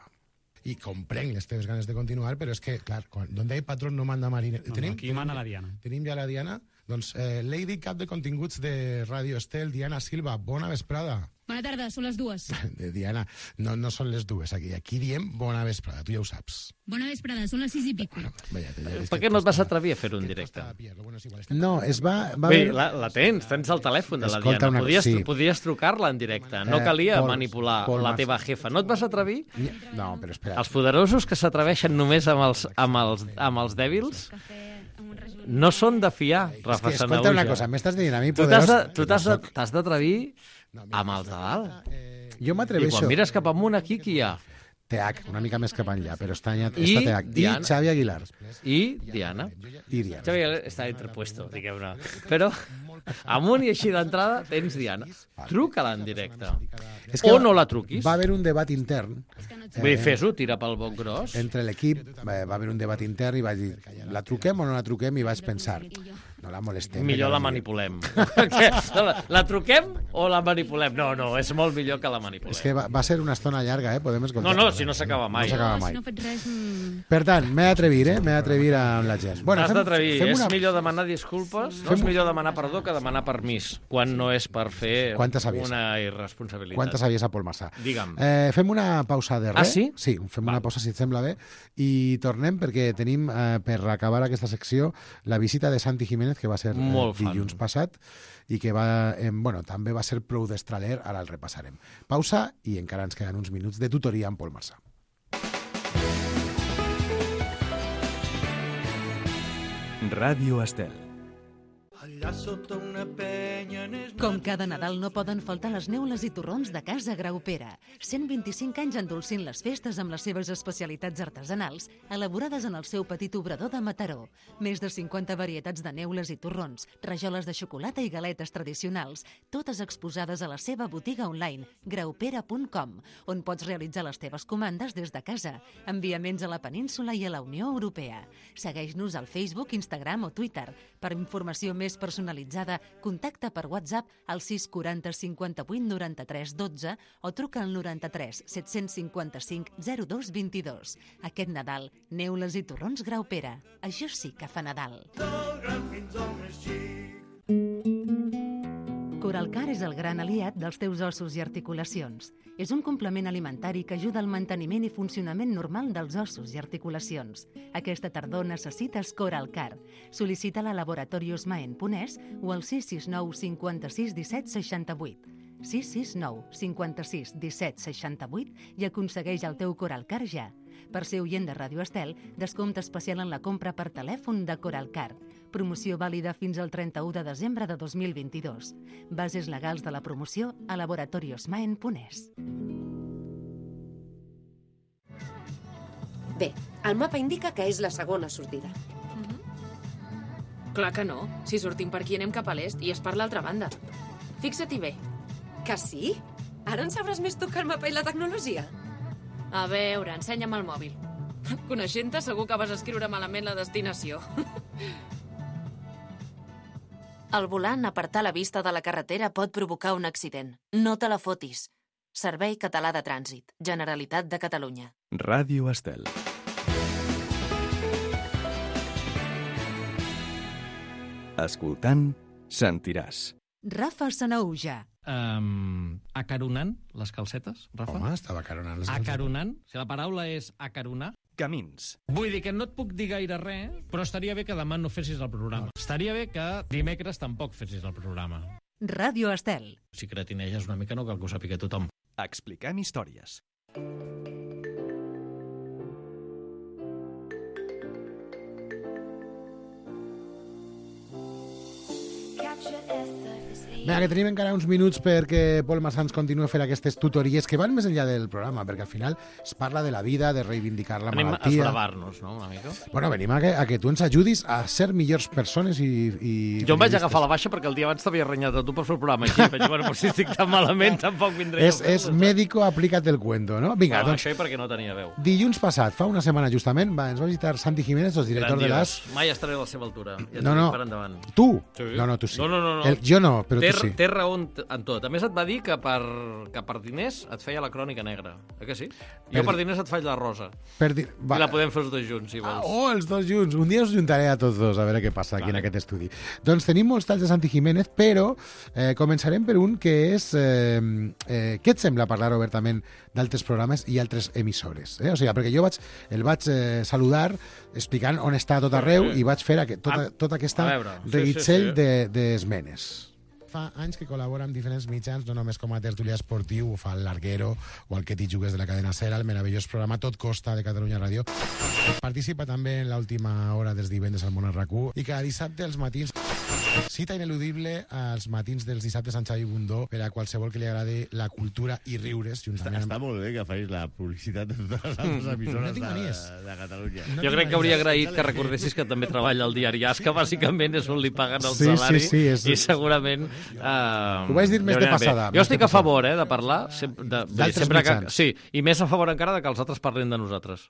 I comprenc les teves ganes de continuar, però és que, clar, quan, donde hay patrón no manda mariner.
No, no, aquí mana la Diana.
Tenim ja la Diana? Doncs eh, Lady Cap de continguts de Ràdio Estel, Diana Silva, bona vesprada.
Bona tarda, són les dues.
De Diana, no, no són les dues aquí. Aquí diem bona vesprada, tu ja ho saps.
Bona vesprada, són les sis i pico.
Veia, ja,
Per què no et vas atrevir a fer-ho en directe?
No, es va... va
Bé,
haver-
la, la tens, tens el telèfon de la
Escolta,
Diana.
una-
Podies,
sí.
podies trucar-la en directe. No
Eh,
calia
Pol-
manipular
Pol
la
Mas-
teva jefa. No et vas atrevir?
No, però espera.
Els poderosos que s'atreveixen només amb els, amb, els, amb els dèbils no són de fiar,
És
Rafa
que, escolta
Sanauja.
una cosa, m'estàs dient a mi
Tu t'has
poderós...
de- tu t'has de- t'has d'atrevir amb els de dalt.
Jo
I
m'atreveixo...
quan mires cap amunt, aquí qui hi ha?
T H, una mica més cap enllà, però està, allà,
I
està T H. I
Diana.
Xavi Aguilar.
I Diana.
I Diana.
Xavi Aguilar està entrepuesto, diguem-ne. Però amunt i així d'entrada tens Diana. Truca-la en directe.
És que
O
va-
no la truquis.
Va haver un debat intern...
Vull dir, fes-ho, tira pel boc gros.
Entre l'equip va, va haver un debat intern i vaig dir, la truquem o no la truquem? I vaig pensar, no la molestem.
Millor
que
la
no digui.
manipulem. la, la truquem o la manipulem? No, no, és molt millor que la manipulem.
És que va, va ser una estona llarga, eh? Podem escoltar.
No, no, si no s'acaba mai.
No s'acaba
Si
mai.
no faig res... Mm...
Per tant, m'he d'atrevir, eh? M'he d'atrevir amb la gent.
Bueno, T'has
fem-
d'atrevir.
fem
És
una-
millor demanar disculpes, no
Fem-
és millor demanar perdó que demanar permís, quan no és per fer
Quanta saviesa.
una irresponsabilitat.
Quanta saviesa, Pol Massà.
Digue'm.
Eh, fem una pausa de res.
Ah, sí?
Sí, fem una pausa, si et sembla bé, i tornem perquè tenim, eh, per acabar aquesta secció, la visita de Santi Jiménez, que va ser eh,
Molt fan.
dilluns passat, i que va, eh, bueno, també va ser prou d'estraler, ara el repassarem. Pausa, i encara ens queden uns minuts de tutoria amb Pol Massà.
Ràdio Estel.
Allà sota una penya n'és...
Com cada Nadal no poden faltar les neules i torrons de Casa Graupera. cent vint-i-cinc anys endolcint les festes amb les seves especialitats artesanals, elaborades en el seu petit obrador de Mataró. Més de cinquanta varietats de neules i torrons, rajoles de xocolata i galetes tradicionals, totes exposades a la seva botiga online, graupera punt com, on pots realitzar les teves comandes des de casa, enviaments a la península i a la Unió Europea. Segueix-nos al Facebook, Instagram o Twitter. Per informació més més personalitzada, contacta per WhatsApp al sis quaranta cinquanta-vuit noranta-tres dotze o truca al noranta-tres set-cents cinquanta-cinc zero dos vint-i-dos. Aquest Nadal, neules i torrons Graupera. Això sí que fa Nadal. Coralcar és el gran aliat dels teus ossos i articulacions. És un complement alimentari que ajuda al manteniment i funcionament normal dels ossos i articulacions. Aquesta tardor necessites Coralcar. Sol·licita-la a laboratorios maen punt es o al sis sis nou cinquanta-sis disset seixanta-vuit. sis sis nou cinquanta-sis disset seixanta-vuit i aconsegueix el teu Coralcar ja. Per ser oient de Ràdio Estel, descompte especial en la compra per telèfon de Coralcar. Promoció vàlida fins al trenta-u de desembre de dos mil vint-i-dos. Bases legals de la promoció a laboratorios maen punt es.
Bé, el mapa indica que és la segona sortida.
Clar que no. Si sortim per aquí anem cap a l'est i és per l'altra banda. Fixa-t'hi bé.
Que sí? Ara en sabràs més tu que el mapa i la tecnologia?
A veure, ensenya'm el mòbil. Coneixent-te, segur que vas escriure malament la destinació.
Al volant, apartar la vista de la carretera pot provocar un accident. No te la fotis. Servei Català de Trànsit. Generalitat de Catalunya.
Ràdio Estel. Escoltant, sentiràs.
Rafa Sanauja.
Um, acaronant les calcetes, Rafa?
Home, estava acaronant les calcetes.
Acaronant? Si la paraula és acaronar...
Camins.
Vull dir que no et puc dir gaire res, però estaria bé que demà no fessis el programa. Estaria bé que dimecres tampoc fessis el programa.
Ràdio Estel.
Si cretineges una mica no cal que ho sàpiga tothom.
Expliquem històries.
Vinga, que tenim encara uns minuts perquè Pol Massans continua fent aquestes tutories que van més enllà del programa, perquè al final es parla de la vida, de reivindicar la
Venim
malaltia.
a esbravar-nos, no, una mica?
Bueno, venim a que, a que tu ens ajudis a ser millors persones i... i
jo em vaig agafar la baixa perquè el dia abans t'havia renyat a tu per fer el programa així. Vaig dir, bueno, però si estic tan malament tampoc vindré
és, és médico, aplica't el cuento, no? Vinga,
bueno,
doncs...
Això i perquè no tenia veu.
Dilluns passat, fa una setmana justament, va, ens va visitar Santi Jiménez, el director
Grandiós.
de l'A S.
Mai estaré a la seva altura. Ja
no, no.
Per endavant.
Tu?
Sí.
No, no, tu sí.
No, no, no. no.
El, jo no, però
té,
tu sí.
Té raó en tot. A més, et va dir que per, que per diners et feia la crònica negra. Eh que sí? Jo per, per diners et faig la rosa.
Per di...
I la podem fer els dos junts, si vols.
Ah, oh, els dos junts. Un dia us juntaré a tots dos a veure què passa aquí vale. En aquest estudi. Doncs tenim molts talls de Santi Jiménez, però eh, començarem per un que és... Eh, eh, què et sembla parlar obertament d'altres programes i altres emissores? Eh? O sigui, perquè jo vaig, el vaig eh, saludar explicant on està tot arreu i vaig fer aquest, tota, tota aquesta reguitzell sí, sí, sí. d'esmenes. De, Fa anys que col·labora amb diferents mitjans, no només com a tertulià esportiu, ho fa el Larguero o el Que t'hi jugues de la cadena SER, el meravellós programa Tot Costa de Catalunya Ràdio. Participa també en l'última hora dels divendres al Món R Q i cada dissabte als matins cita ineludible als matins dels dissabtes amb Xavi Bundó per a qualsevol que li agradi la cultura i riures.
Està, està molt bé que facis la publicitat de totes les altres emissores
no
de, de Catalunya.
No jo crec que hauria agraït que recordessis que també treballa al diari As, que bàsicament és on li paguen el
sí,
salari,
sí, sí, és...
i segurament... Uh,
ho vaig dir més de passada.
Jo estic a favor eh, de parlar sempre, de, de, sempre que, sí, i més a favor encara de que els altres parlin de nosaltres.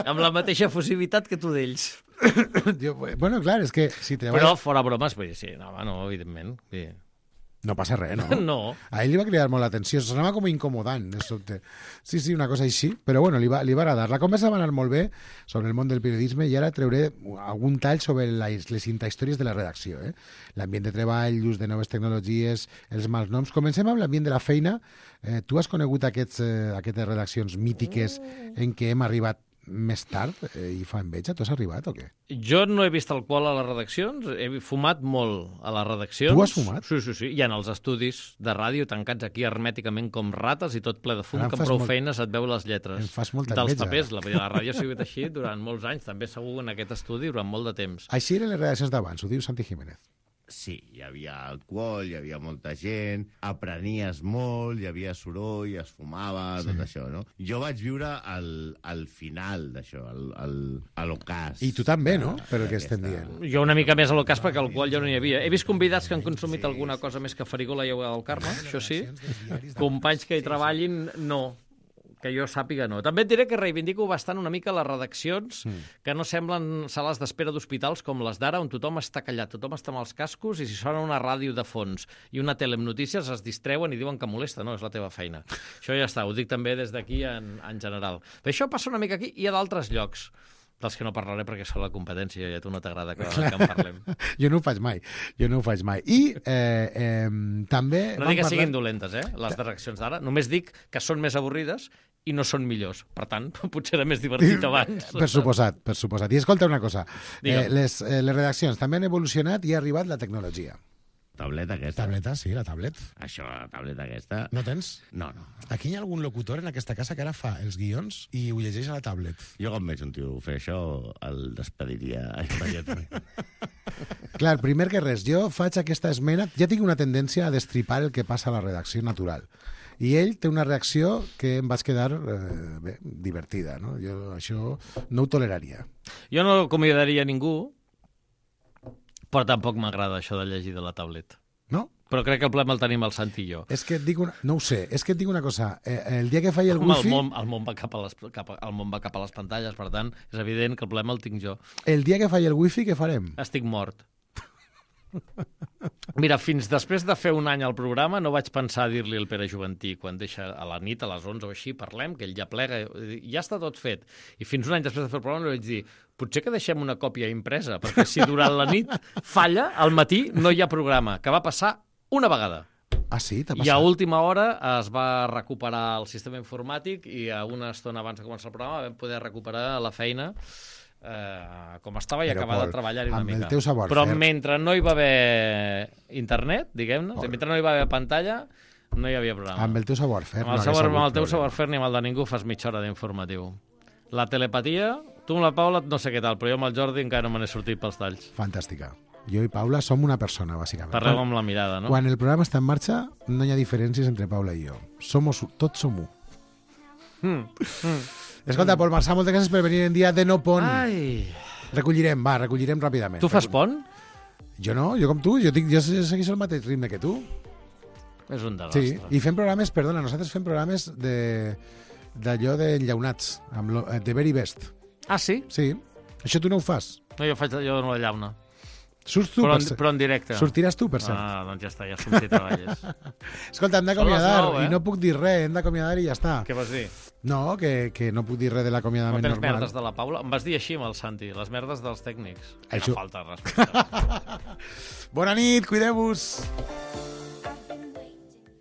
Amb la mateixa efusivitat que tu d'ells.
Jo, bueno, clar, és que si treballes...
Però fora bromes, vull dir, sí, no, no, evidentment. Vull dir...
No passa res, no?
No.
A ell li va cridar molt l'atenció, sonava com incomodant, de sobte. Sí, sí, una cosa així, però bueno, li va, li va agradar. La conversa va anar molt bé sobre el món del periodisme i ara treuré algun tall sobre les, les intahistòries de la redacció. Eh? L'ambient de treball, l'ús de noves tecnologies, els mals noms. Comencem amb l'ambient de la feina. Eh, tu has conegut aquests, eh, aquestes redaccions mítiques en què hem arribat més tard eh, i fa enveja? Tu has arribat o què?
Jo no he vist alcohol a les redaccions, he fumat molt a les redaccions.
Tu has fumat?
Sí, sí, sí, i en els estudis de ràdio tancats aquí hermèticament com rates i tot ple de fum,
Ara
que amb prou
molt...
feines et veu les lletres.
Em fas molta
dels
enveja.
papers. La, la ràdio ha sigut així durant molts anys, també segur en aquest estudi durant molt de temps.
Així eren les redaccions d'abans, ho diu Santi Jiménez.
Sí, hi havia alcohol, hi havia molta gent, aprenies molt, hi havia soroll, es fumava, sí. Tot això, no? Jo vaig viure al, al final d'això, al, al, a l'ocàs.
I tu també, no? Per el que estem dient.
Jo una mica més a l'ocàs perquè alcohol ja no hi havia. He vist convidats que han consumit alguna cosa més que farigola i aigua del Carme, això sí. Companys que hi treballin, no. Que jo sàpiga, no. També et diré que reivindico bastant una mica les redaccions mm. que no semblen sales d'espera d'hospitals com les d'ara, on tothom està callat, tothom està amb els cascos i si sona una ràdio de fons i una tele amb notícies es distreuen i diuen que molesta. No, és la teva feina. Això ja està, ho dic també des d'aquí en, en general. Però això passa una mica aquí i a d'altres llocs, dels que no parlaré perquè són la competència i a tu no t'agrada que, que en parlem.
Jo no ho faig mai, jo no ho faig mai. I eh, eh, també...
No dic que parlar... siguin dolentes, eh, les de reaccions d'ara. Només dic que són més avorrides i no són millors. Per tant, potser era més divertit abans.
Per suposat, per suposat. I escolta una cosa, eh, les, eh, les redaccions també han evolucionat i ha arribat la tecnologia.
Tableta aquesta.
Tableta, sí, la tablet.
Això, la tableta aquesta...
No tens?
No, no.
Aquí hi ha algun locutor en aquesta casa que ara fa els guions i ho llegeix a la tablet.
Jo quan veig un tio fer això, el despediria immediatament.
Clar, primer que res, jo faig aquesta esmena, ja tinc una tendència a destripar el que passa a la redacció natural. I ell té una reacció que em vaig quedar eh, bé, divertida, no? Jo això no ho toleraria.
Jo no acomiadaria ningú, però tampoc m'agrada això de llegir de la tablet.
No?
Però crec que el problema el tenim el Santi i jo.
És que et dic una... No ho sé, és que et dic una cosa. Eh, el dia que faig el
Home,
wifi...
El món, el, món va cap a les, cap a, el món va cap a les pantalles, per tant, és evident que el problema el tinc jo.
El dia que faig el wifi, què farem?
Estic mort. Mira, fins després de fer un any al programa no vaig pensar a dir-li al Pere Juventí quan deixa a la nit, a les onze o així, parlem, que ell ja plega, ja està tot fet. I fins un any després de fer el programa li vaig dir potser que deixem una còpia impresa, perquè si durant la nit falla, al matí no hi ha programa, que va passar una vegada.
Ah, sí? T'ha passat?
I a última hora es va recuperar el sistema informàtic i a una estona abans de començar el programa vam poder recuperar la feina eh, com estava i
Però,
acabar
Pol,
de treballar-hi una
amb
mica.
el teu savoir
Però
fer.
mentre no hi va haver internet, diguem-ne, mentre no hi va haver pantalla, no hi havia programa.
Amb el teu savoir-fer.
Amb el, savoir, amb el teu savoir-fer ni amb el de ningú fas mitja hora d'informatiu. La telepatia, tu amb la Paula no sé què tal, però jo amb el Jordi encara no me n'he sortit pels talls.
Fantàstica. Jo i Paula som una persona, bàsicament.
Parleu amb la mirada, no?
Quan el programa està en marxa, no hi ha diferències entre Paula i jo. Somos, tots som u.
Mm. Mm.
Escolta, Pol Marçà, moltes gràcies per venir en dia de no pont.
Ai.
Recollirem, va, recollirem ràpidament.
Tu fas pont?
Jo no, jo com tu, jo, tinc, jo segueixo el mateix ritme que tu.
És un desastre.
Sí, i fem programes, perdona, nosaltres fem programes de d'allò d'enllaunats, amb lo, de Very Best.
Ah, sí?
Sí. Això tu no ho fas?
No, jo faig jo no la llauna.
Surts tu,
però,
per
en, però en directe.
Sortiràs tu, per cert.
Ah, doncs ja està, ja som si treballes.
Escolta, hem d'acomiadar,
nou, eh?
i no puc dir res, hem d'acomiadar i ja està.
Què vas dir?
No, que, que no puc dir res de l'acomiadament
normal. No tens
normal.
merdes de la Paula? Em vas dir així amb el Santi, les merdes dels tècnics.
Això...
Una falta de respecte.
Bona nit, cuideu-vos!